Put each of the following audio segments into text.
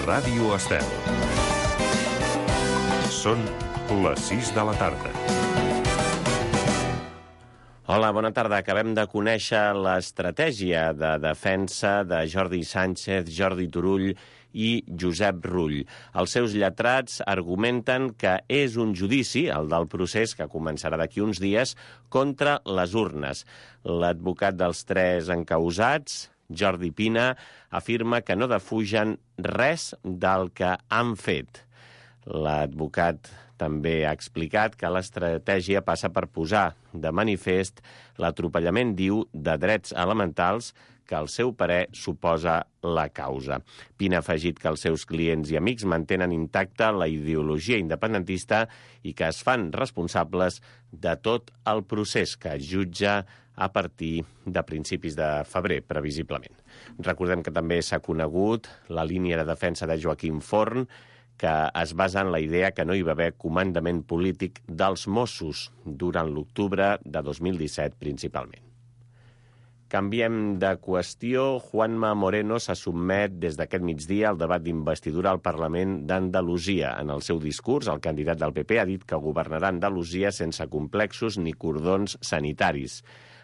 Ràdio Estel. Són les 6 de la tarda. Hola, bona tarda. Acabem de conèixer l'estratègia de defensa de Jordi Sánchez, Jordi Turull i Josep Rull. Els seus lletrats argumenten que és un judici, el del procés, que començarà d'aquí uns dies, contra les urnes. L'advocat dels tres encausats, Jordi Pina, afirma que no defugen res del que han fet. L'advocat també ha explicat que l'estratègia passa per posar de manifest l'atropellament, diu, de drets elementals que al seu parer suposa la causa. Pina ha afegit que els seus clients i amics mantenen intacta la ideologia independentista i que es fan responsables de tot el procés que jutja a partir de principis de febrer, previsiblement. Recordem que també s'ha conegut la línia de defensa de Joaquim Forn, que es basa en la idea que no hi va haver comandament polític dels Mossos durant l'octubre de 2017, principalment. Canviem de qüestió. Juanma Moreno se sotmet des d'aquest migdia al debat d'investidura al Parlament d'Andalusia. En el seu discurs, el candidat del PP ha dit que governarà Andalusia sense complexos ni cordons sanitaris.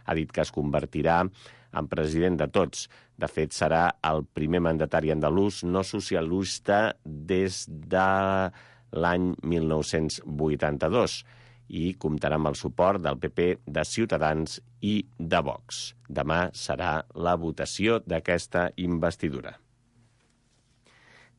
Ha dit que es convertirà en president de tots. De fet, serà el primer mandatari andalús no socialista des de l'any 1982 i comptarà amb el suport del PP, de Ciutadans i de Vox. Demà serà la votació d'aquesta investidura.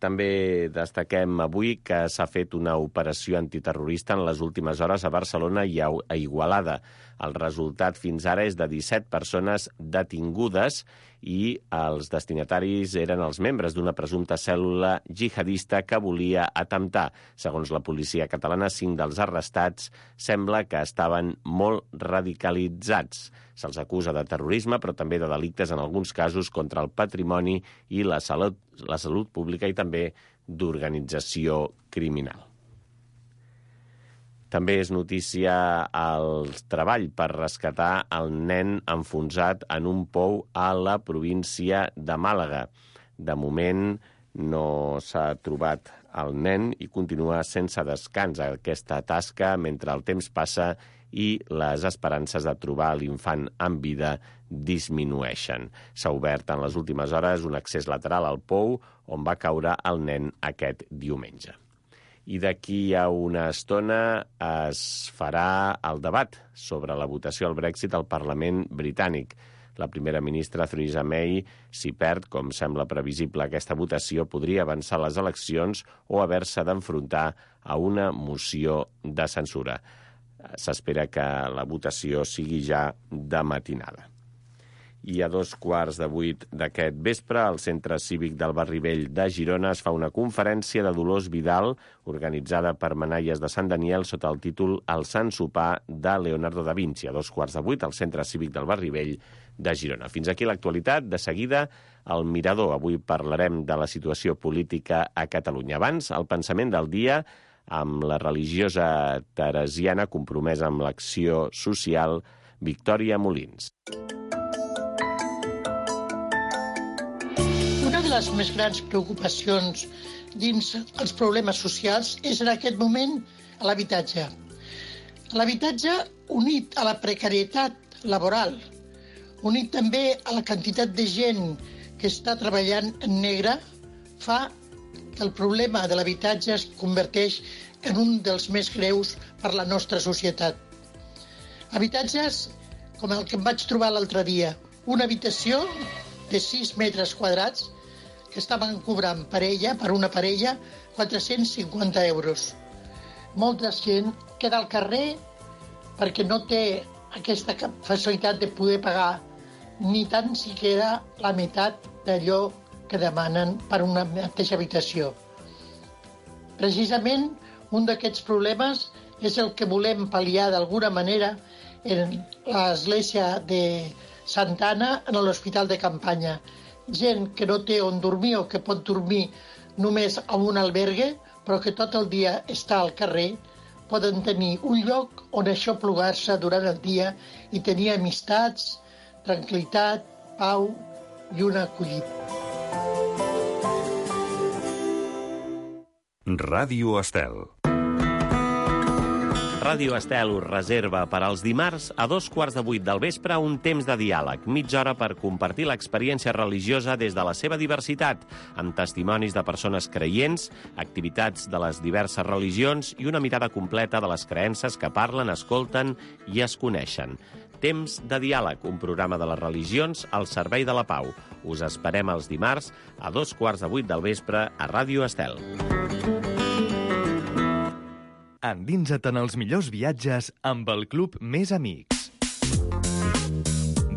També destaquem avui que s'ha fet una operació antiterrorista en les últimes hores a Barcelona i a Igualada. El resultat fins ara és de 17 persones detingudes i els destinataris eren els membres d'una presumpta cèl·lula jihadista que volia atemptar. Segons la policia catalana, 5 dels arrestats sembla que estaven molt radicalitzats. Se'ls acusa de terrorisme, però també de delictes en alguns casos contra el patrimoni i la salut pública i també d'organització criminal. També és notícia el treball per rescatar el nen enfonsat en un pou a la província de Màlaga. De moment no s'ha trobat el nen i continua sense descans aquesta tasca mentre el temps passa i les esperances de trobar l'infant amb vida disminueixen. S'ha obert en les últimes hores un accés lateral al pou on va caure el nen aquest diumenge. I d'aquí a una estona es farà el debat sobre la votació al Brexit al Parlament britànic. La primera ministra Theresa May, si perd, com sembla previsible aquesta votació, podria avançar les eleccions o haver-se d'enfrontar a una moció de censura. S'espera que la votació sigui ja de matinada. I a 7:15 d'aquest vespre, al Centre Cívic del Barri Vell de Girona es fa una conferència de Dolors Vidal organitzada per Manaies de Sant Daniel sota el títol El Sant Sopar de Leonardo da Vinci, a 7:15 al Centre Cívic del Barri Vell de Girona. Fins aquí l'actualitat. De seguida, el Mirador. Avui parlarem de la situació política a Catalunya. Abans, el pensament del dia amb la religiosa teresiana compromesa amb l'acció social, Victòria Molins. Una de les més grans preocupacions dins els problemes socials és en aquest moment l'habitatge. L'habitatge, unit a la precarietat laboral, unit també a la quantitat de gent que està treballant en negre, fa que el problema de l'habitatge es converteix en un dels més greus per la nostra societat. Habitatges com el que em vaig trobar l'altre dia, una habitació de 6 metres quadrats que estaven cobrant per una parella, 450 euros. Molta gent queda al carrer perquè no té aquesta facilitat de poder pagar ni tan siquiera la meitat d'allò que demanen per una mateixa habitació. Precisament, un d'aquests problemes és el que volem pal·liar d'alguna manera en l'església de Santa Anna, en l'hospital de campanya. Gent que no té on dormir o que pot dormir només en un albergue, però que tot el dia està al carrer, poden tenir un lloc on aixoplugar-se durant el dia i tenir amistats, tranquil·litat, pau i una acollida. Ràdio Estel. Ràdio Estel us reserva per als dimarts a 7:45 del vespre un temps de diàleg, mitja hora per compartir l'experiència religiosa des de la seva diversitat, amb testimonis de persones creients, activitats de les diverses religions i una mirada completa de les creences que parlen, escolten i es coneixen. Temps de diàleg, un programa de les religions al servei de la pau. Us esperem els dimarts a 7:45 del vespre a Ràdio Estel. Endinsa't en els millors viatges amb el Club Més Amics.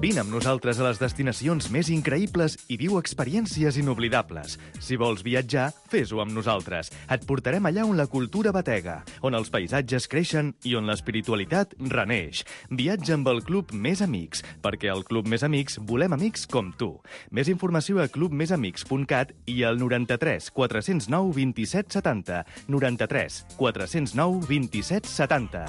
Vine amb nosaltres a les destinacions més increïbles i viu experiències inoblidables. Si vols viatjar, fes-ho amb nosaltres. Et portarem allà on la cultura batega, on els paisatges creixen i on l'espiritualitat reneix. Viatja amb el Club Més Amics, perquè al Club Més Amics volem amics com tu. Més informació a clubmesamics.cat i al 93 409 27 70. 93 409 27 70.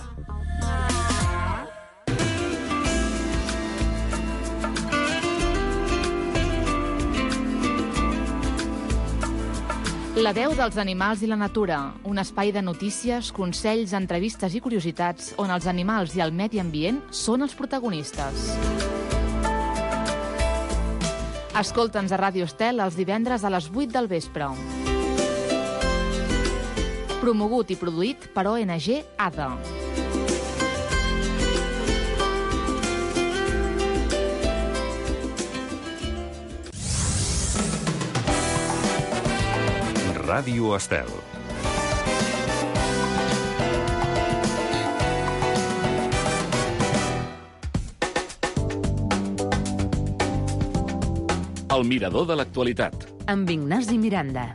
La veu dels animals i la natura, un espai de notícies, consells, entrevistes i curiositats on els animals i el medi ambient són els protagonistes. Escolta'ns a Ràdio Estel els divendres a les 8 del vespre. Promogut i produït per ONG ADA. Ràdio Estel. El mirador de l'actualitat. Amb Ignasi Miranda.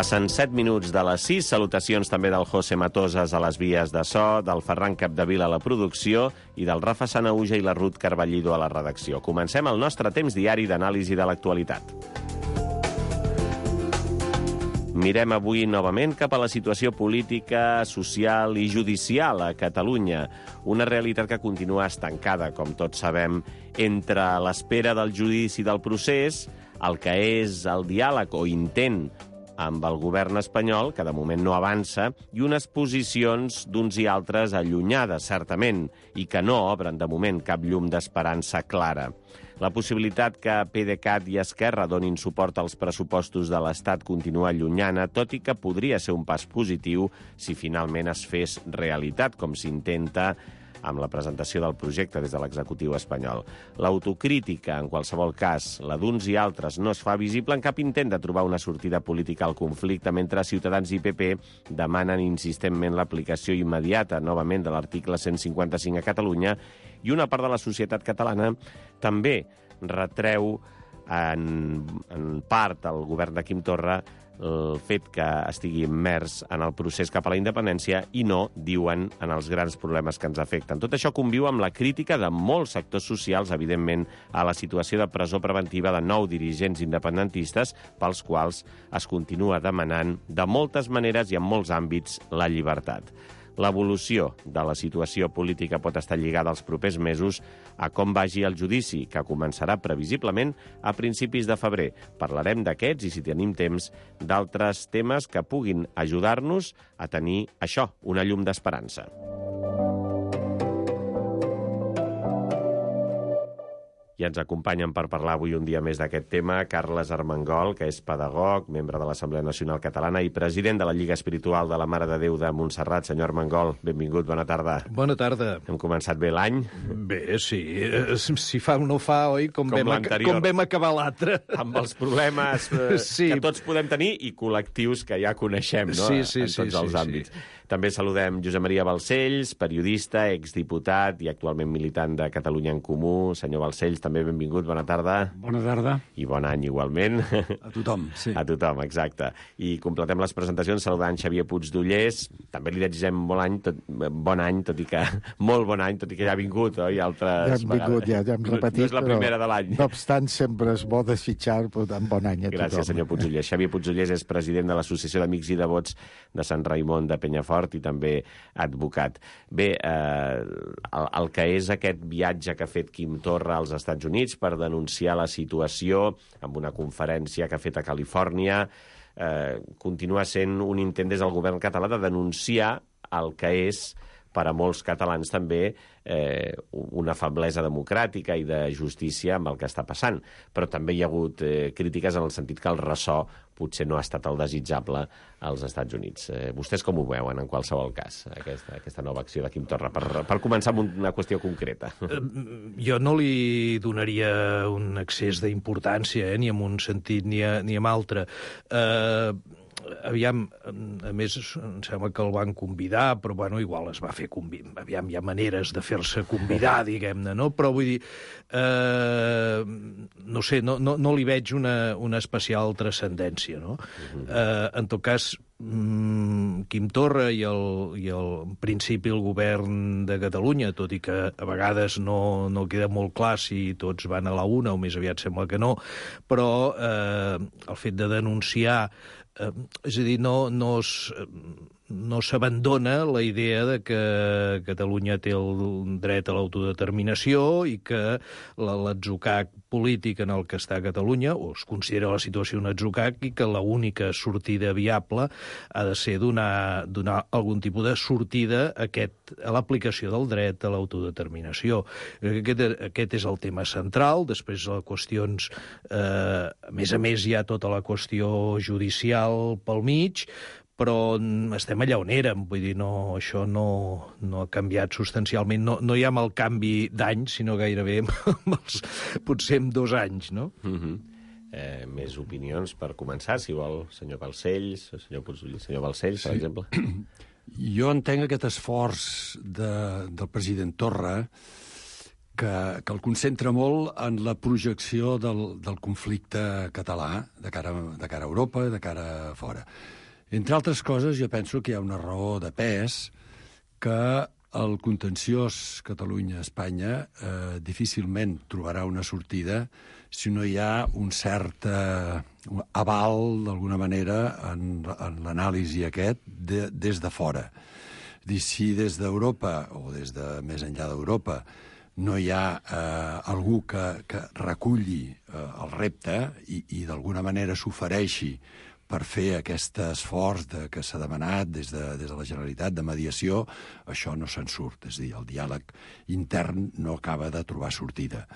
Passen 7 minuts de les 6. Salutacions també del José Matosas a les vies de so, del Ferran Capdevila a la producció i del Rafa Sanahuja i la Ruth Carballido a la redacció. Comencem el nostre temps diari d'anàlisi de l'actualitat. Mirem avui novament cap a la situació política, social i judicial a Catalunya. Una realitat que continua estancada, com tots sabem, entre l'espera del judici del procés, el que és el diàleg o intent amb el govern espanyol, que de moment no avança, i unes posicions d'uns i altres allunyades, certament, i que no obren de moment cap llum d'esperança clara. La possibilitat que PDeCAT i Esquerra donin suport als pressupostos de l'Estat continua llunyana, tot i que podria ser un pas positiu si finalment es fes realitat, com s'intenta amb la presentació del projecte des de l'executiu espanyol. L'autocrítica, en qualsevol cas, la d'uns i altres, no es fa visible en cap intent de trobar una sortida política al conflicte, mentre Ciutadans i PP demanen insistentment l'aplicació immediata, novament, de l'article 155 a Catalunya, i una part de la societat catalana també retreu en part al govern de Quim Torra el fet que estigui immers en el procés cap a la independència i no, diuen, en els grans problemes que ens afecten. Tot això conviu amb la crítica de molts sectors socials, evidentment, a la situació de presó preventiva de 9 dirigents independentistes pels quals es continua demanant de moltes maneres i en molts àmbits la llibertat. L'evolució de la situació política pot estar lligada als propers mesos a com vagi el judici, que començarà previsiblement a principis de febrer. Parlarem d'aquests i, si tenim temps, d'altres temes que puguin ajudar-nos a tenir això, una llum d'esperança. I ens acompanyen per parlar avui un dia més d'aquest tema Carles Armengol, que és pedagog, membre de l'Assemblea Nacional Catalana i president de la Lliga Espiritual de la Mare de Déu de Montserrat. Senyor Armengol, benvingut, bona tarda. Bona tarda. Hem començat bé l'any. Bé, sí. Si fa o no fa, oi? Com vam acabar l'altre. Amb els problemes que tots podem tenir i col·lectius que ja coneixem, no? En tots els àmbits. També saludem Josep Maria Balcells, periodista, exdiputat i actualment militant de Catalunya en Comú. Senyor Balcells, també benvingut, bona tarda. Bona tarda. I bon any, igualment. A tothom, sí. A tothom, exacte. I completem les presentacions saludant Xavier Puigdollers. També li desitgem bon any, tot i que molt bon any, tot i que ja ha vingut, oi? Altres ja hem vingut, ja hem repetit, no és la primera de l'any. No obstant, sempre és bo desitjar un bon any a tothom. Gràcies, senyor Puigdollers. Xavier Puigdollers és president de l'Associació d'Amics i Devots de Sant Raimon de Penyafort i també advocat. Bé, el que és aquest viatge que ha fet Quim Torra als Estats Units per denunciar la situació amb una conferència que ha fet a Califòrnia continua sent un intent des del govern català de denunciar el que és per a molts catalans també una feblesa democràtica i de justícia amb el que està passant. Però també hi ha hagut crítiques en el sentit que el ressò potser no ha estat el desitjable als Estats Units. Vostès com ho veuen, en qualsevol cas, aquesta nova acció de Quim Torra? Per començar amb una qüestió concreta. Jo no li donaria un excés d'importància, ni en un sentit ni en altre. Aviam, a més, em sembla que el van convidar, però, bueno, igual es va fer convidar. Aviam, hi ha maneres de fer-se convidar, diguem-ne, no? Però, vull dir, no sé, no li veig una especial transcendència, no? En tot cas, Quim Torra i en principi el govern de Catalunya, tot i que a vegades no queda molt clar si tots van a la una, o més aviat sembla que no, però el fet de denunciar, és a dir, no s'abandona la idea de que Catalunya té el dret a l'autodeterminació i que l'atzucac polític en el que està Catalunya, o es considera la situació un atzucac, i que l'única sortida viable ha de ser donar algun tipus de sortida a l'aplicació del dret a l'autodeterminació. Aquest és el tema central. Després, les qüestions... A més, hi ha tota la qüestió judicial pel mig, però estem allà on érem, vull dir, això no ha canviat substancialment, no hi ha amb el canvi d'any, sinó gairebé potser amb 2 anys, no? Més opinions per començar, si vol, senyor Balcells, senyor Balcells, per exemple. Jo entenc aquest esforç del president Torra que el concentra molt en la projecció del conflicte català de cara a Europa i de cara a fora. Entre altres coses, jo penso que hi ha una raó de pes que el contenciós Catalunya-Espanya difícilment trobarà una sortida si no hi ha un cert aval, d'alguna manera, en l'anàlisi aquest des de fora. És a dir, si des d'Europa, o des de més enllà d'Europa, no hi ha algú que reculli el repte i d'alguna manera s'ofereixi per fer aquest esforç que s'ha demanat des de la Generalitat de mediació, això no se'n surt. És a dir, el diàleg intern no acaba de trobar sortida.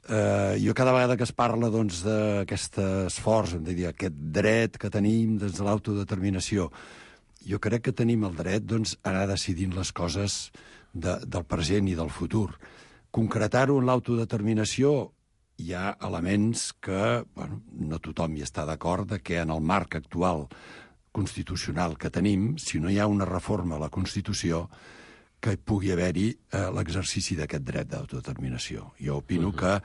Jo cada vegada que es parla d'aquest esforç, aquest dret que tenim des de l'autodeterminació, jo crec que tenim el dret a anar decidint les coses del present i del futur. Concretar-ho en l'autodeterminació, hi ha elements que no tothom hi està d'acord que en el marc actual constitucional que tenim, si no hi ha una reforma a la Constitució, que hi pugui haver-hi l'exercici d'aquest dret d'autodeterminació. Jo opino que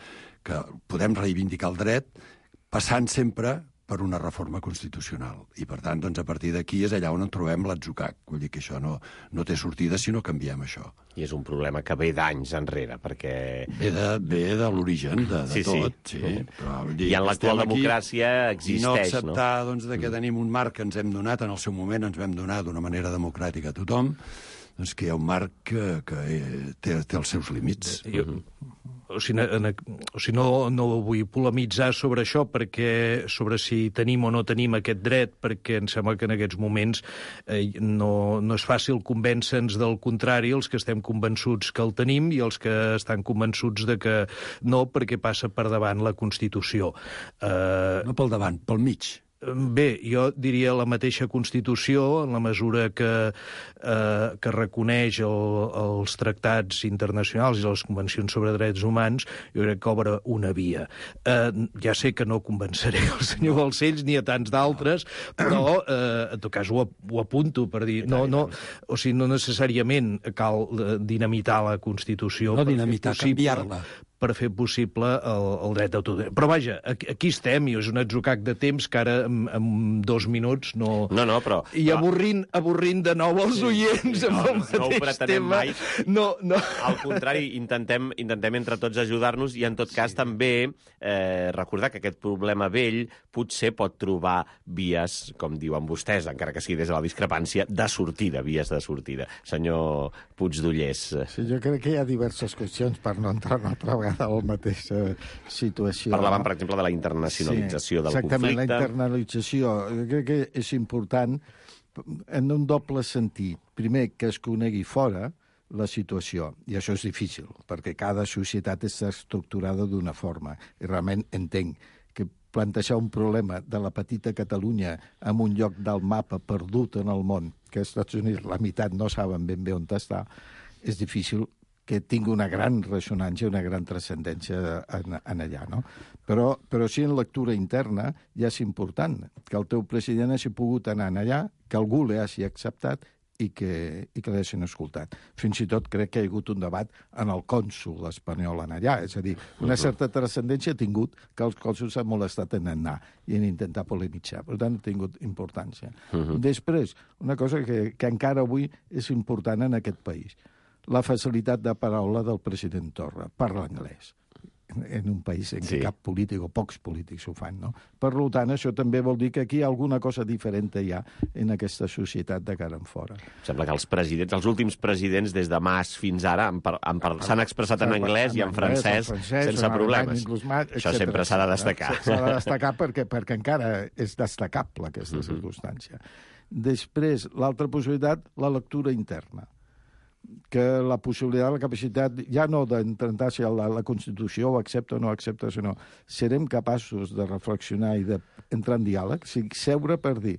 podem reivindicar el dret passant sempre per una reforma constitucional. I, per tant, a partir d'aquí és allà on en trobem l'atzucac. Vull dir que això no té sortida si no canviem això. I és un problema que ve d'anys enrere, perquè... Ve de l'origen de tot. Sí. Però, i en l'actual democràcia existeix, no? I no acceptar que tenim un marc que ens hem donat, en el seu moment ens vam donar d'una manera democràtica a tothom, que hi ha un marc que té els seus límits. O sigui, no vull polemitzar sobre això, sobre si tenim o no tenim aquest dret, perquè em sembla que en aquests moments no és fàcil convèncer-nos del contrari, els que estem convençuts que el tenim i els que estan convençuts de que no, perquè passa per davant la Constitució. No pel davant, pel mig. Bé, jo diria la mateixa Constitució, en la mesura que reconeix els tractats internacionals i les convencions sobre drets humans, jo crec que obre una via. Ja sé que no convenceré el senyor Balcells ni a tants d'altres, però en tot cas ho apunto per dir... No necessàriament cal dinamitar la Constitució. No dinamitar, canviar-la. Per fer possible el dret d'autodeterminació. Però vaja, aquí estem, i és un atzucac de temps que ara en 2 minuts no... No, però... I avorrint de nou els oients amb el mateix tema. No. Al contrari, intentem entre tots ajudar-nos i en tot cas també recordar que aquest problema vell potser pot trobar vies, com diuen vostès, encara que sigui des de la discrepància, de sortida, vies de sortida. Senyor Puigdollers. Sí, jo crec que hi ha diverses qüestions per no entrar una altra vegada a la mateixa situació. Parlàvem, per exemple, de la internacionalització del conflicte. Exactament, la internalització. Jo crec que és important en un doble sentit. Primer, que es conegui fora la situació, i això és difícil, perquè cada societat està estructurada d'una forma, i realment entenc que plantejar un problema de la petita Catalunya en un lloc del mapa perdut en el món, que als Estats Units la meitat no saben ben bé on està, és difícil que tingui una gran ressonància, una gran transcendència en allà, no? Però sí en lectura interna ja és important que el teu president hagi pogut anar allà, que algú l'hagi acceptat i que l'hagin escoltat. Fins i tot crec que hi ha hagut un debat en el cònsol espanyol en allà, és a dir, una certa transcendència ha tingut que els cònsols s'han molestat en anar i en intentar polemitzar, per tant ha tingut importància. Després, una cosa que encara avui és important en aquest país, la facilitat de paraula del president Torra. Parla anglès en un país en què cap polític o pocs polítics ho fan, no? Per tant, això també vol dir que aquí hi ha alguna cosa diferent hi ha en aquesta societat de cara en fora. Sembla que els últims presidents, des de Mas fins ara, s'han expressat en anglès i en francès sense problemes. Això sempre s'ha de destacar. S'ha de destacar perquè encara és destacable aquesta circumstància. Després, l'altra possibilitat, la lectura interna, que la possibilitat, la capacitat, ja no d'entrar si la Constitució ho accepta o no accepta, sinó serem capaços de reflexionar i d'entrar en diàleg, seure per dir,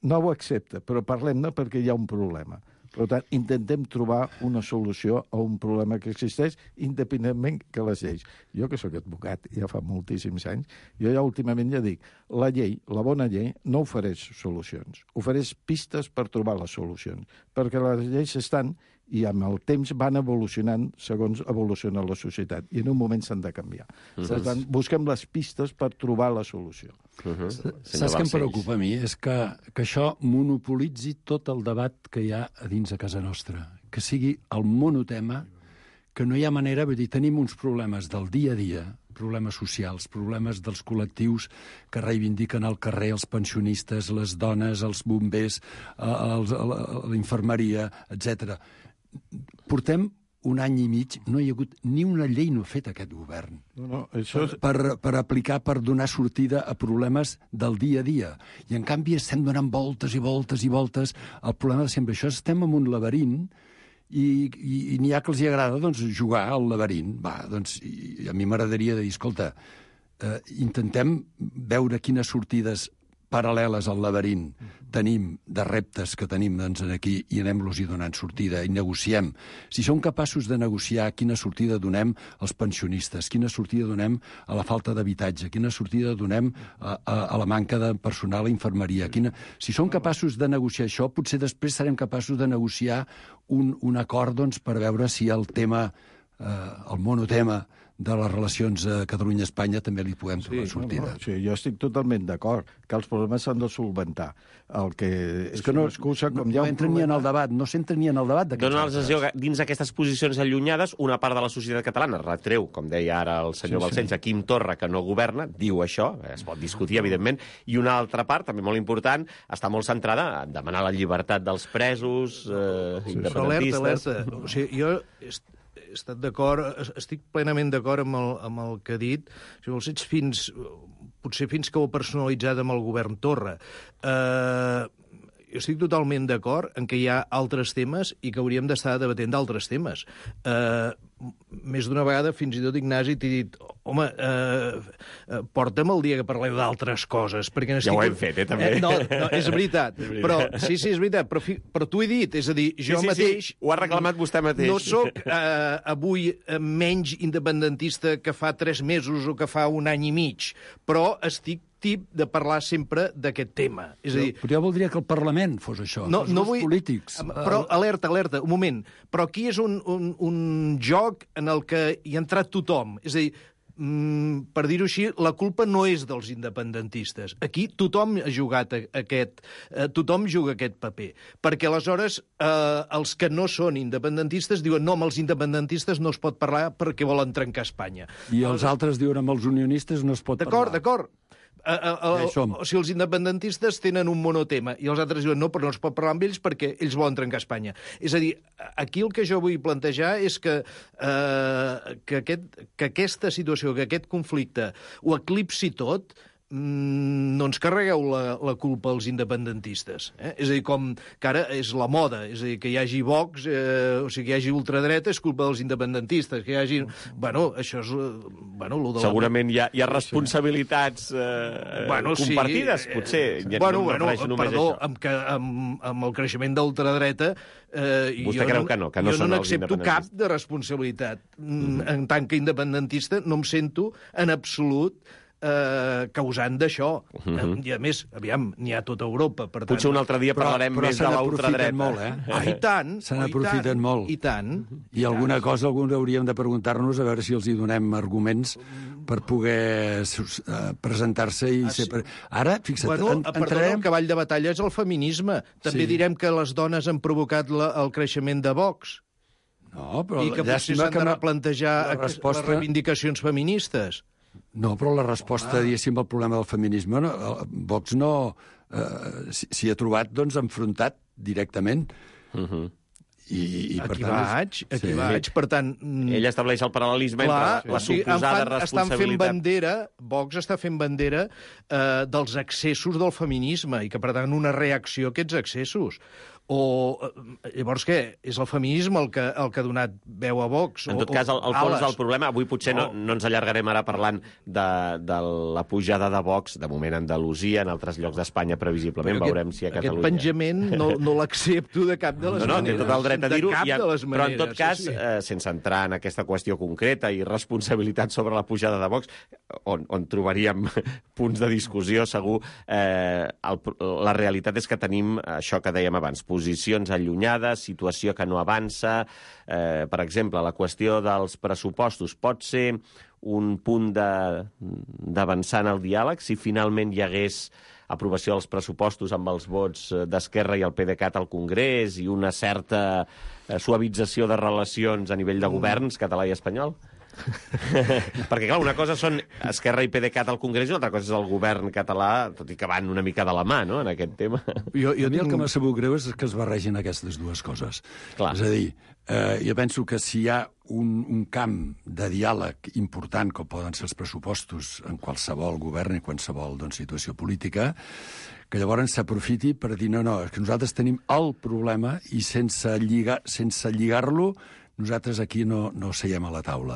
no ho accepta, però parlem-ne perquè hi ha un problema. Per tant, intentem trobar una solució a un problema que existeix independentment que les lleis. Jo, que sóc advocat ja fa moltíssims anys, jo ja últimament ja dic, la llei, la bona llei, no ofereix solucions, ofereix pistes per trobar les solucions, perquè les lleis estan i amb el temps van evolucionant segons evoluciona la societat, i en un moment s'han de canviar. Per tant, busquem les pistes per trobar la solució. Saps què em preocupa a mi? És que això monopolitzi tot el debat que hi ha a dins de casa nostra. Que sigui el monotema, que no hi ha manera, vull dir, tenim uns problemes del dia a dia, problemes socials, problemes dels col·lectius que reivindiquen al carrer, els pensionistes, les dones, els bombers, la infermeria, etc. Portem un any i mig, no hi ha hagut ni una llei no ha fet aquest govern per aplicar, per donar sortida a problemes del dia a dia. I en canvi estem donant voltes i voltes i voltes al problema de sempre. Això estem en un laberint i n'hi ha que els agrada jugar al laberint. A mi m'agradaria dir, escolta, intentem veure quines sortides paral·leles al laberint tenim de reptes que tenim aquí i anem-los-hi donant sortida i negociem. Si som capaços de negociar quina sortida donem als pensionistes, quina sortida donem a la falta d'habitatge, quina sortida donem a la manca de personal a infermeria, si som capaços de negociar això, potser després serem capaços de negociar un acord per veure si el tema, el monotema de les relacions a Catalunya-Espanya també li podem trobar sortida. Jo estic totalment d'acord que els problemes s'han de solventar. El que és que no excusa, com ja no entren ni en el debat, no s'entren ni en el debat. Dóna la sensació que dins d'aquestes posicions allunyades, una part de la societat catalana retreu, com deia ara el senyor Balcells, a Quim Torra, que no governa, diu això, es pot discutir, evidentment, i una altra part, també molt important, està molt centrada en demanar la llibertat dels presos, independentistes. Alerta. O sigui, jo he estat d'acord, estic plenament d'acord amb el que ha dit. Si vols, potser fins que ho ha personalitzat amb el govern Torra. Jo estic totalment d'acord en que hi ha altres temes i que hauríem d'estar debatent d'altres temes. Més d'una vegada, fins i tot Ignasi, t'he dit, home, porta'm el dia que parleu d'altres coses, perquè Ja ho hem fet, també. No, és veritat. Però, sí, és veritat, però t'ho he dit, és a dir, jo mateix... Sí, ho ha reclamat vostè mateix. No sóc avui menys independentista que fa 3 mesos o que fa un any i mig, però estic tip de parlar sempre d'aquest tema. És a dir... Però jo voldria que el Parlament fos això, els grups polítics. Però, alerta, un moment. Però aquí és un joc en el que hi ha entrat tothom. És a dir, per dir-ho així, la culpa no és dels independentistes. Aquí tothom ha jugat tothom juga aquest paper. Perquè aleshores els que no són independentistes diuen no, amb els independentistes no es pot parlar perquè volen trencar Espanya. I els altres diuen amb els unionistes no es pot parlar. D'acord. O sigui, els independentistes tenen un monotema i els altres diuen no, però no es pot parlar amb ells perquè ells volen trencar Espanya. És a dir, aquí el que jo vull plantejar és que aquesta situació, que aquest conflicte ho eclipsi tot, no ens carregueu la culpa als independentistes. És a dir, com que ara és la moda, és a dir, que hi hagi Vox, o sigui, que hi hagi ultradreta és culpa dels independentistes, que hi hagi... Bueno, això és... Bueno, segurament hi ha responsabilitats compartides, potser. Perdó, amb el creixement d'ultradreta vostè creu que no són els independentistes? Jo no n'accepto cap de responsabilitat. En tant que independentista no em sento en absolut causant d'això. I a més, aviam, n'hi ha tota Europa. Per tant... Potser un altre dia parlarem més de l'ultradreta. Molt, I tant. Se n'aprofiten molt. I tant. I alguna cosa hauríem de preguntar-nos a veure si els hi donem arguments per poder presentar-se i ser... Ara, fixa't, el cavall de batalla és el feminisme. També direm que les dones han provocat el creixement de Vox. No, però... I que potser s'han de replantejar les reivindicacions feministes. No, però la resposta, diguéssim, al problema del feminisme, Vox no s'hi ha trobat, doncs, enfrontat directament. Aquí vaig, per tant... Ell estableix el paral·lelisme entre la suposada responsabilitat... Vox està fent bandera dels excessos del feminisme i que, per tant, una reacció a aquests excessos. Llavors què? És el feminisme el que ha donat veu a Vox? En tot cas, el fons del problema, avui potser no ens allargarem ara parlant de la pujada de Vox, de moment a Andalusia, en altres llocs d'Espanya, previsiblement, veurem si a Catalunya... Aquest penjament no l'accepto de cap de les maneres. No, té tot el dret a dir-ho, però en tot cas, sí. Sense entrar en aquesta qüestió concreta i responsabilitat sobre la pujada de Vox, on trobaríem punts de discussió, segur, la realitat és que tenim això que dèiem abans, posicions allunyades, situació que no avança. Per exemple, la qüestió dels pressupostos pot ser un punt d'avançar en el diàleg si finalment hi hagués aprovació dels pressupostos amb els vots d'Esquerra i el PDeCAT al Congrés i una certa suavització de relacions a nivell de governs català i espanyol? Perquè, clar, una cosa són Esquerra i PDeCAT al Congrés i una altra cosa és el govern català, tot i que van una mica de la mà, no?, en aquest tema. A mi el que m'ha sabut greu és que es barregin aquestes dues coses. Clar. És a dir, jo penso que si hi ha un camp de diàleg important, com poden ser els pressupostos en qualsevol govern i qualsevol situació política, que llavors s'aprofiti per dir no, és que nosaltres tenim el problema i sense lligar-lo nosaltres aquí no seiem a la taula.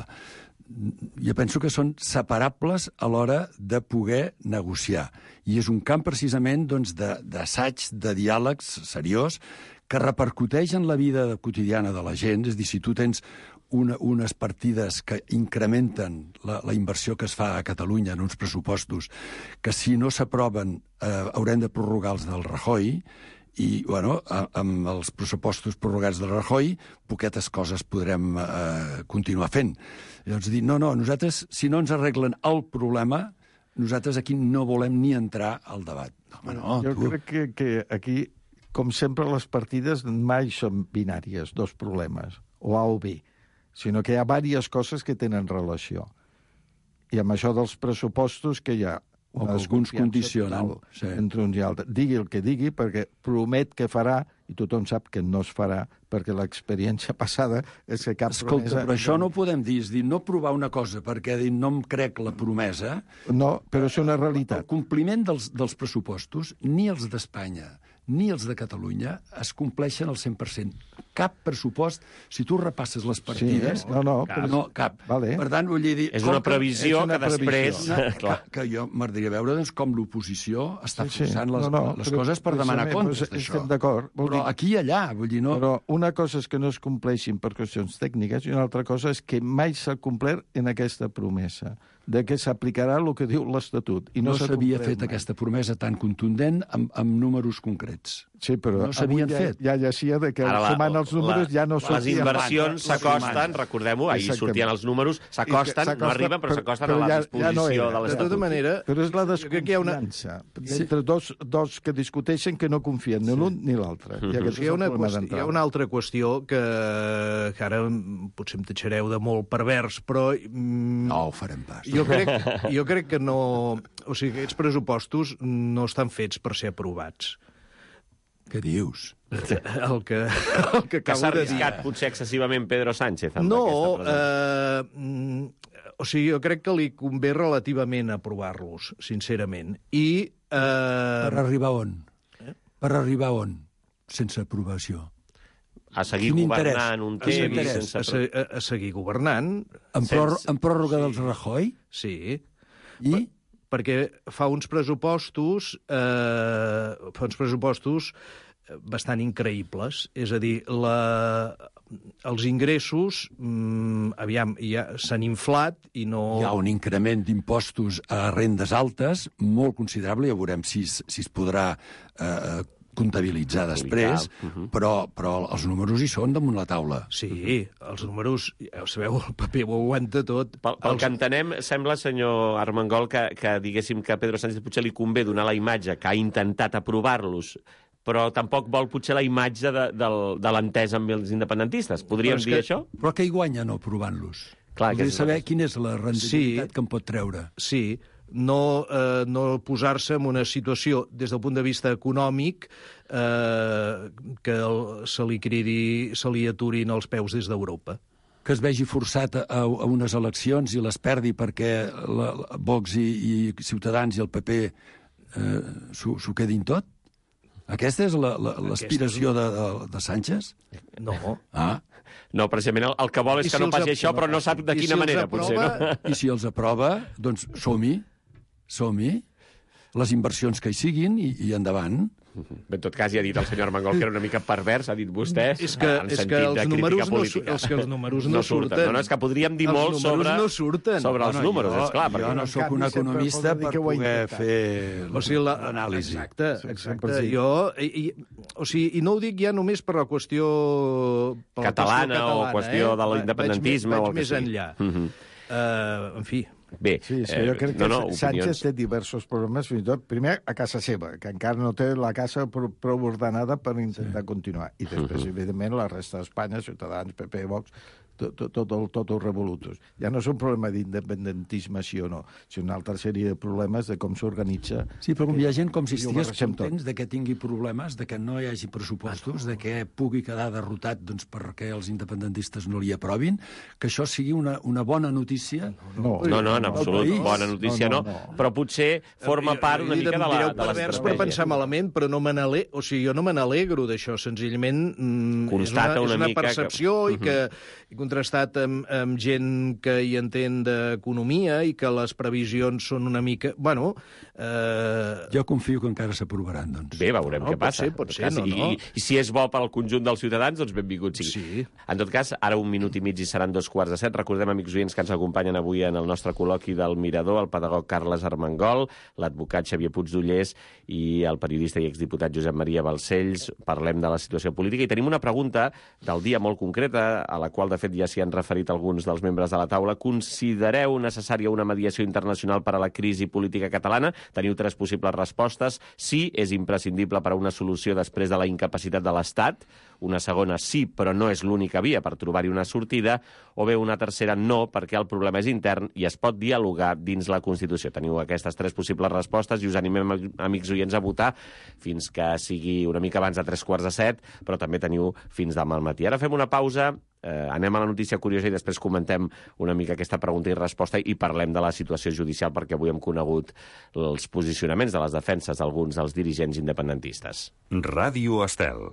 Jo penso que són separables a l'hora de poder negociar. I és un camp precisament d'assaig, de diàlegs seriós, que repercuteix en la vida quotidiana de la gent. És a dir, si tu tens unes partides que incrementen la inversió que es fa a Catalunya en uns pressupostos, que si no s'aproven haurem de prorrogar els del Rajoy, i, amb els pressupostos prorrogats del Rajoy, poquetes coses podrem continuar fent. Llavors, dir, nosaltres, si no ens arreglen el problema, nosaltres aquí no volem ni entrar al debat. Jo crec que aquí, com sempre, les partides mai són binàries, dos problemes, o A o B, sinó que hi ha diverses coses que tenen relació. I amb això dels pressupostos que hi ha alguns condicionen entre uns i altres. Digui el que digui, perquè promet que farà, i tothom sap que no es farà, perquè l'experiència passada és que cap promesa... Escolta, però això no ho podem dir, és dir, no provar una cosa perquè no em crec la promesa... No, però és una realitat. El compliment dels pressupostos, ni els d'Espanya ni els de Catalunya, es compleixen al 100%. cap pressupost. Si tu repasses les partides... Cap. Vale. Per tant, vull dir... És una previsió que després... Que jo m'agradaria veure com l'oposició està forçant les coses per demanar comptes d'això. Estem d'acord. Però aquí i allà, vull dir, no... Però una cosa és que no es compleixin per qüestions tècniques i una altra cosa és que mai s'ha complert en aquesta promesa de que s'aplicarà el que diu l'Estatut. I no s'havia fet aquesta promesa tan contundent amb números concrets. Sí, però no s'havien fet. Ja llegia que sumant els números ja no sortien. Les inversions s'acosten, recordem-ho, ahir sortien els números, s'acosten, no arriben, però s'acosten a la disposició de l'Estatut. De tota manera... Però és la desconfiança entre dos que discuteixen que no confien ni l'un ni l'altre. Hi ha una altra qüestió que ara potser em tatxareu de molt pervers, però... No ho farem pas. Jo crec que no... O sigui, aquests pressupostos no estan fets per ser aprovats. Què dius? El que s'ha arriscat potser excessivament Pedro Sánchez amb aquesta presentació. O sigui, jo crec que li convé relativament aprovar-los, sincerament. I... Per arribar on? Per arribar on? Sense aprovació. A seguir governant un temps... A seguir governant. En pròrroga dels Rajoy? Sí. I? Perquè fa uns pressupostos bastant increïbles. És a dir, els ingressos, ja s'han inflat i no... Hi ha un increment d'impostos a rendes altes molt considerable, ja veurem si es podrà comptabilitzar després, però els números hi són damunt la taula. Sí, els números, ja ho sabeu, el paper ho aguanta tot. Pel que entenem, sembla, senyor Armengol, que diguéssim que a Pedro Sánchez potser li convé donar la imatge que ha intentat aprovar-los, però tampoc vol potser la imatge de l'entesa amb els independentistes. Podríem dir això? Però què hi guanya no aprovant-los? Voldria saber quina és la rendibilitat que en pot treure. Sí, no posar-se en una situació, des del punt de vista econòmic, que se li aturin els peus des d'Europa. Que es vegi forçat a unes eleccions i les perdi perquè Vox i Ciutadans i el PP s'ho quedin tot? Aquesta és l'aspiració de Sánchez? No. No, precisament el que vol és que no passi això, però no sap de quina manera, potser, no? I si els aprova, doncs som-hi. Les inversions que hi siguin i endavant. En tot cas, ja ha dit el senyor Armengol que era una mica pervers, ha dit vostè, és que els números no surten. No, és que podríem dir molt sobre els números, esclar. Jo no sóc un economista per poder fer l'anàlisi. Exacte. I no ho dic ja només per la qüestió catalana o qüestió de l'independentisme. Vaig més enllà. En fi... Bé, sí, jo crec que Sánchez té diversos problemes, fins i tot, primer, a casa seva, que encara no té la casa prou ordenada per intentar continuar. I després, evidentment, la resta d'Espanya, Ciutadans, PP, Vox, tot el revolutus. Ja no és un problema d'independentisme, sí o no, sinó una altra sèrie de problemes de com s'organitza... Sí, però hi ha gent com si estigués contents de que tingui problemes, de que no hi hagi pressupostos, de que pugui quedar derrotat perquè els independentistes no li aprovin, que això sigui una bona notícia. No, en absolut, bona notícia no, però potser forma part una mica de l'estratègia. Per pensar malament, però no jo no me n'alegro d'això, senzillament és una percepció i que contrastat amb gent que hi entén d'economia i que les previsions són una mica... Bueno... Jo confio que encara s'aprovaran, doncs. Bé, veurem què passa. Pot ser, no. I si és bo pel conjunt dels ciutadans, doncs benvingut sigui. Sí. En tot cas, ara 1 minut i mig i seran 2:15. Recordem, amics oients, que ens acompanyen avui en el nostre col·loqui del Mirador, el pedagog Carles Armengol, l'advocat Xavier Puigdollers i el periodista i exdiputat Josep Maria Balcells. Parlem de la situació política i tenim una pregunta del dia molt concreta, a la qual, de fet, ja s'hi han referit alguns dels membres de la taula. Considereu necessària una mediació internacional per a la crisi política catalana? Teniu 3 possibles respostes. Sí, és imprescindible per a una solució després de la incapacitat de l'Estat. Una segona, sí, però no és l'única via per trobar-hi una sortida. O bé una tercera, no, perquè el problema és intern i es pot dialogar dins la Constitució. Teniu aquestes 3 possibles respostes i us animem, amics oients, a votar fins que sigui una mica abans de 3:15, però també teniu fins demà al matí. Ara fem una pausa, anem a la notícia curiosa i després comentem una mica aquesta pregunta i resposta i parlem de la situació judicial, perquè avui hem conegut els posicionaments de les defenses d'alguns dels dirigents independentistes. Ràdio Estel.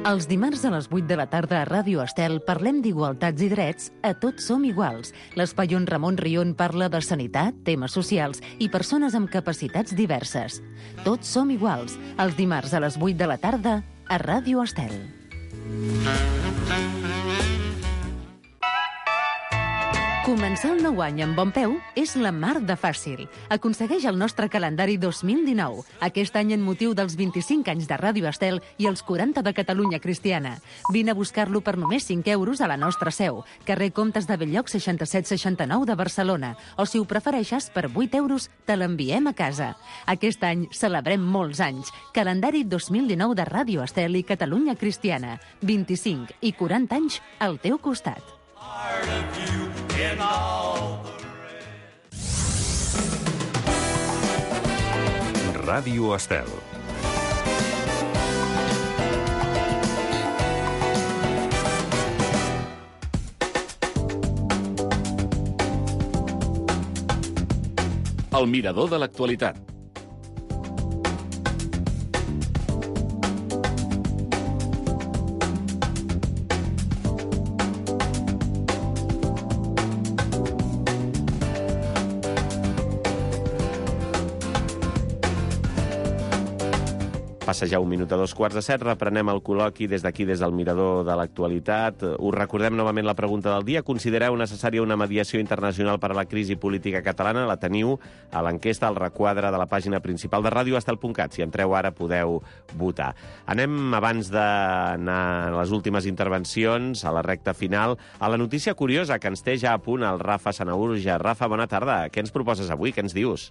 Els dimarts a les 8 de la tarda a Ràdio Estel parlem d'igualtats i drets a Tots som iguals. L'espai on Ramon Rion parla de sanitat, temes socials i persones amb capacitats diverses. Tots som iguals, els dimarts a les 8 de la tarda a Ràdio Estel. Començar el nou any amb bon peu és la mar de fàcil. Aconsegueix el nostre calendari 2019, aquest any en motiu dels 25 anys de Ràdio Estel i els 40 de Catalunya Cristiana. Vine a buscar-lo per només 5 euros a la nostra seu, carrer Comtes de Belllloc 6769 de Barcelona, o si ho prefereixes, per 8 euros te l'enviem a casa. Aquest any celebrem molts anys. Calendari 2019 de Ràdio Estel i Catalunya Cristiana. 25 i 40 anys al teu costat. Ràdio Estel. El mirador de l'actualitat. Passa ja 1 minut a 2:15, reprenem el col·loqui des d'aquí, des del mirador de l'actualitat. Us recordem novament la pregunta del dia. Considereu necessària una mediació internacional per a la crisi política catalana? La teniu a l'enquesta al requadre de la pàgina principal de radioestel.cat. Si entreu ara podeu votar. Anem, abans d'anar a les últimes intervencions, a la recta final, a la notícia curiosa que ens té ja a punt el Rafa Sanaurja. Rafa, bona tarda. Què ens proposes avui? Què ens dius?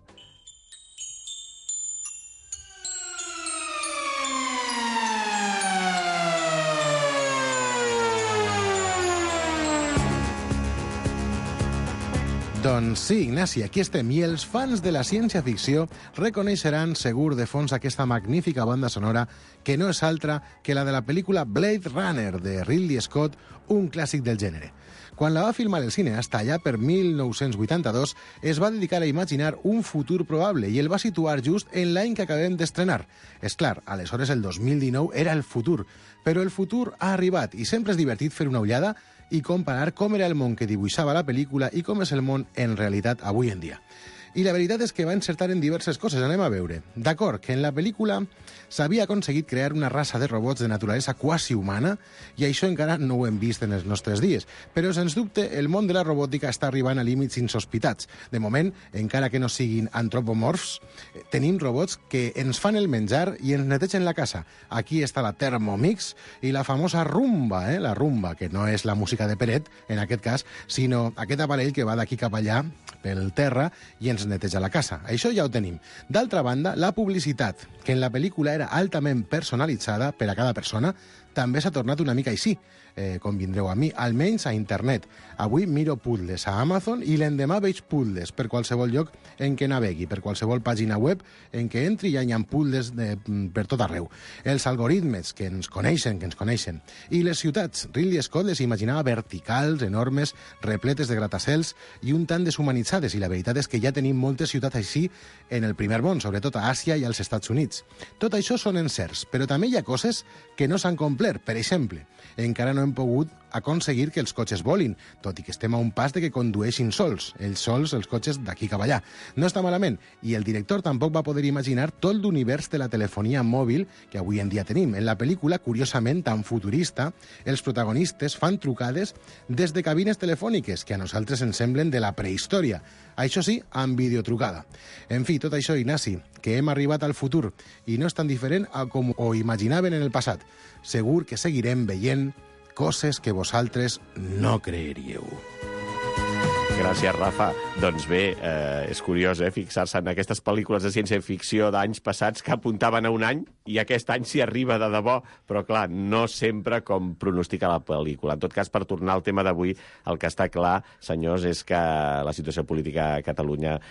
Doncs sí, Ignasi, aquí estem. I els fans de la ciència-ficció reconeixeran segur de fons aquesta magnífica banda sonora que no és altra que la de la pel·lícula Blade Runner de Ridley Scott, un clàssic del gènere. Quan la va filmar el cineasta allà per 1982, es va dedicar a imaginar un futur probable i el va situar just en l'any que acabem d'estrenar. És clar, aleshores el 2019 era el futur, però el futur ha arribat i sempre és divertit fer una ullada i comparar com era el món que dibuixava la pel·lícula i com és el món en realitat avui en dia. I la veritat és que va encertar en diverses coses, anem a veure. D'acord, que en la pel·lícula s'havia aconseguit crear una raça de robots de naturalesa quasi humana, i això encara no ho hem vist en els nostres dies. Però, sens dubte, el món de la robòtica està arribant a límits insospitats. De moment, encara que no siguin antropomorfs, tenim robots que ens fan el menjar i ens netegen la casa. Aquí està la Thermomix i la famosa Rumba, la Rumba, que no és la música de Peret, en aquest cas, sinó aquest aparell que va d'aquí cap allà, pel terra, i ens neteja la casa. Això ja ho tenim. D'altra banda, la publicitat, que en la pel·lícula era altament personalitzada per a cada persona, també s'ha tornat una mica així, convindreu a mi, almenys a internet. Avui miro puzzles a Amazon i l'endemà veig puzzles per qualsevol lloc en què navegui, per qualsevol pàgina web en què entri, ja hi ha puzzles per tot arreu. Els algoritmes que ens coneixen. I les ciutats, Ridley Scott les imaginava verticals, enormes, repletes de gratacels i un tant deshumanitzades, i la veritat és que ja tenim moltes ciutats així en el primer món, sobretot a Àsia i als Estats Units. Tot això són encerts, però també hi ha coses que no s'han complert. Per exemple, encara no hem pogut aconseguir que els cotxes volin, tot i que estem a un pas de que condueixin sols, els cotxes d'aquí cap allà. No està malament, i el director tampoc va poder imaginar tot l'univers de la telefonia mòbil que avui en dia tenim. En la pel·lícula, curiosament tan futurista, els protagonistes fan trucades des de cabines telefòniques que a nosaltres ens semblen de la prehistòria. Això sí, amb videotrucada. En fi, tot això, Ignasi, que hem arribat al futur i no és tan diferent a com ho imaginaven en el passat. Segur que seguirem veient coses que vosaltres no creeríeu. Gràcies, Rafa. Doncs bé, és curiós fixar-se en aquestes pel·lícules de ciència-ficció d'anys passats que apuntaven a un any i aquest any s'hi arriba de debò, però clar, no sempre com pronostica la pel·lícula. En tot cas, per tornar al tema d'avui, el que està clar, senyors, és que la situació política a Catalunya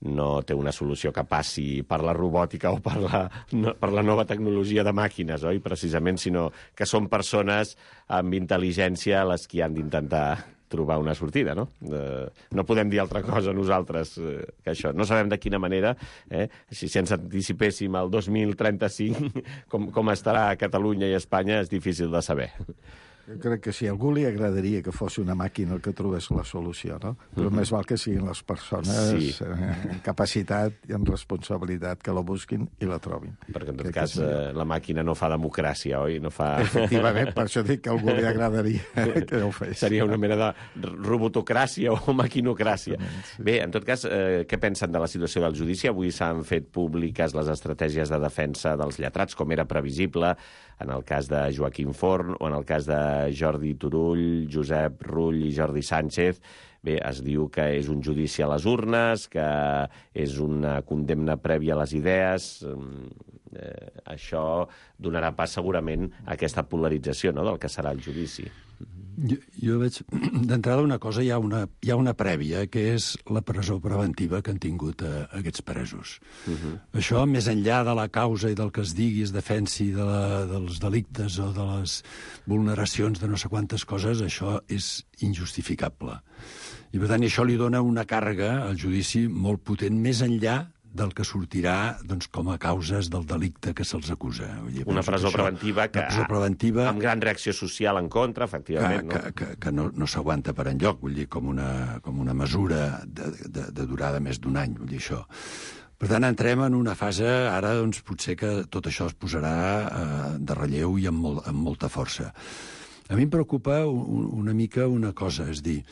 no té una solució que passi per la robòtica o per la nova tecnologia de màquines, oi? Precisament, sinó que són persones amb intel·ligència les que han d'intentar trobar una sortida, no? No podem dir altra cosa nosaltres que això. No sabem de quina manera, si ens anticipéssim al 2035, com estarà Catalunya i Espanya, és difícil de saber. Jo crec que si a algú li agradaria que fos una màquina el que trobés la solució, no? Però més val que siguin les persones en capacitat i en responsabilitat que la busquin i la trobin. Perquè, en tot cas, la màquina no fa democràcia, oi? No fa... Efectivament, per això dic que a algú li agradaria que ho fes. Seria una mena de robotocràcia o maquinocràcia. Sí. Bé, en tot cas, què pensen de la situació del judici? Avui s'han fet públiques les estratègies de defensa dels lletrats, com era previsible, en el cas de Joaquim Forn o en el cas de Jordi Turull, Josep Rull i Jordi Sánchez. Bé, es diu que és un judici a les urnes, que és una condemna prèvia a les idees. Això donarà pas segurament a aquesta polarització, no?, del que serà el judici. Jo veig, d'entrada, una cosa, hi ha una prèvia, que és la presó preventiva que han tingut aquests presos. Això, més enllà de la causa i del que es digui, es defensi dels delictes o de les vulneracions de no sé quantes coses, això és injustificable. I, per tant, això li dona una càrrega al judici molt potent, més enllà del que sortirà com a causes del delicte que se'ls acusa. Una presó preventiva amb gran reacció social en contra, efectivament. Que no s'aguanta per enlloc, vull dir, com una mesura de durada més d'un any, vull dir això. Per tant, entrem en una fase, ara, potser que tot això es posarà de relleu i amb molta força. A mi em preocupa una mica una cosa, és dir,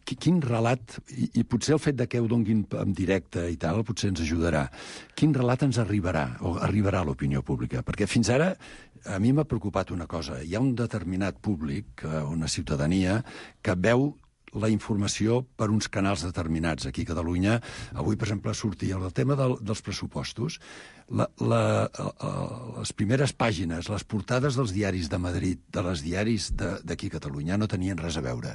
quin relat, i potser el fet que ho donguin en directe i tal, potser ens ajudarà, quin relat ens arribarà, o arribarà a l'opinió pública? Perquè fins ara a mi m'ha preocupat una cosa. Hi ha un determinat públic, una ciutadania, que veu la informació per uns canals determinats aquí a Catalunya. Avui, per exemple, sortia el tema dels pressupostos. Les primeres pàgines, les portades dels diaris de Madrid, de les diaris d'aquí a Catalunya, no tenien res a veure.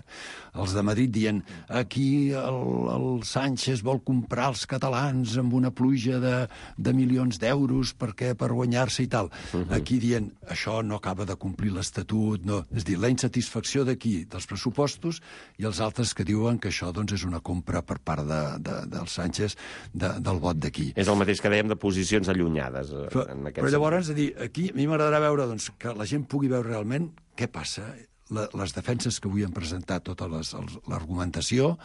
Els de Madrid dient aquí el Sánchez vol comprar els catalans amb una pluja de milions d'euros per guanyar-se i tal. Aquí dient això no acaba de complir l'Estatut, no. És a dir, la insatisfacció d'aquí dels pressupostos i els altres que diuen que això és una compra per part del Sánchez del vot d'aquí. És el mateix que dèiem de posicions allunyades. Però llavors, aquí a mi m'agradarà veure que la gent pugui veure realment què passa, les defenses que avui han presentat, tota l'argumentació,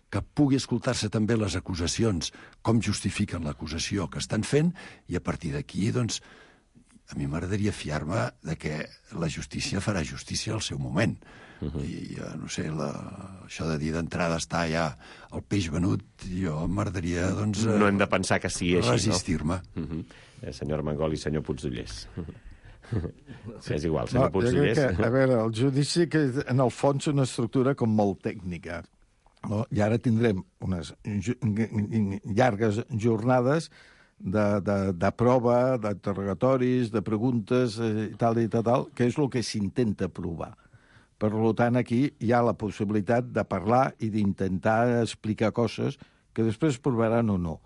que pugui escoltar-se també les acusacions, com justifiquen l'acusació que estan fent, i a partir d'aquí, a mi m'agradaria fiar-me que la justícia farà justícia al seu moment. I, no sé, això de dir d'entrada està ja el peix venut, jo m'agradaria, no hem de pensar que sigui així, resistir-me. Senyor Armengol i senyor Puigdollers. És igual, senyor Puigdollers. A veure, el judici, que en el fons és una estructura com molt tècnica, no? I ara tindrem unes llargues jornades de prova, d'interrogatoris, de preguntes i tal, que és el que s'intenta provar. Per tant, aquí hi ha la possibilitat de parlar i d'intentar explicar coses que després es provaran o no.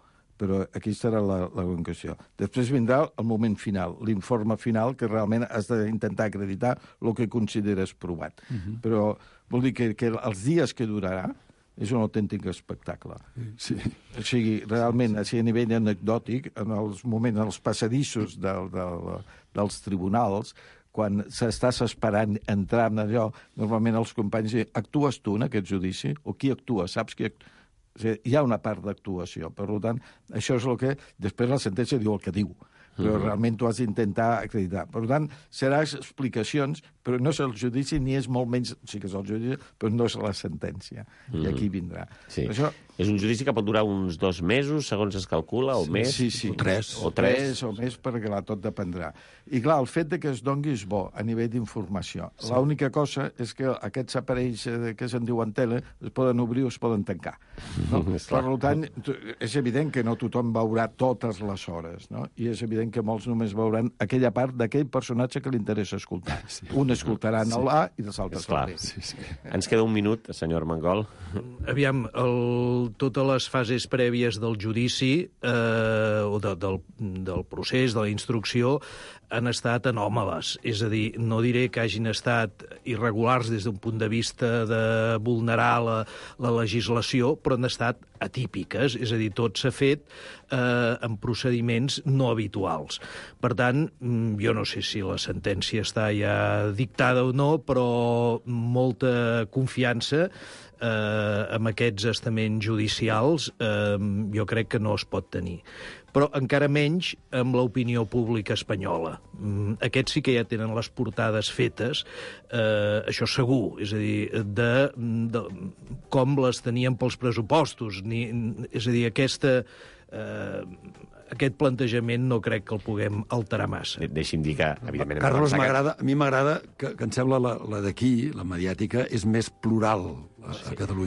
Però aquí serà la qüestió. Després vindrà el moment final, l'informe final, que realment has d'intentar acreditar el que consideres provat. Però vol dir que els dies que durarà és un autèntic espectacle. Sí. O sigui, realment, a nivell anecdòtic, en els moments, en els passadissos dels tribunals, quan s'estàs esperant entrar en allò, normalment els companys diuen, actues tu en aquest judici? O qui actua? Saps qui actua? O sigui, hi ha una part d'actuació. Per tant, això és el que... Després la sentència diu el que diu, però realment tu has d'intentar acreditar. Per tant, seràs explicacions, però no és el judici, ni és molt menys... Sí que és el judici, però no és la sentència. I aquí vindrà. Sí. Això... És un judici que pot durar uns 2 mesos, segons es calcula, o més? Sí. O 3. O 3 o més, perquè tot dependrà. I clar, el fet que es doni és bo a nivell d'informació. Sí. L'única cosa és que aquests aparells que se'n diuen tele es poden obrir o es poden tancar. No? Per tant, és evident que no tothom veurà totes les hores, no? I és evident que molts només veuran aquella part d'aquell personatge que li interessa escoltar. Sí. Un escoltaran l'A i els altres el B. Sí. Ens queda un minut, senyor Armengol. Aviam, el totes les fases prèvies del judici o del procés, de la instrucció, han estat anòmales. És a dir, no diré que hagin estat irregulars des d'un punt de vista de vulnerar la legislació, però han estat atípiques. És a dir, tot s'ha fet en procediments no habituals. Per tant, jo no sé si la sentència està ja dictada o no, però molta confiança amb aquests estaments judicials jo crec que no es pot tenir. Però encara menys amb l'opinió pública espanyola. Aquests sí que ja tenen les portades fetes, això segur, és a dir, de com les tenien pels pressupostos. És a dir, aquest plantejament no crec que el puguem alterar massa. Deixi'm dir que, evidentment... Carlos, a mi m'agrada que em sembla la d'aquí, la mediàtica, és més plural a Catalunya.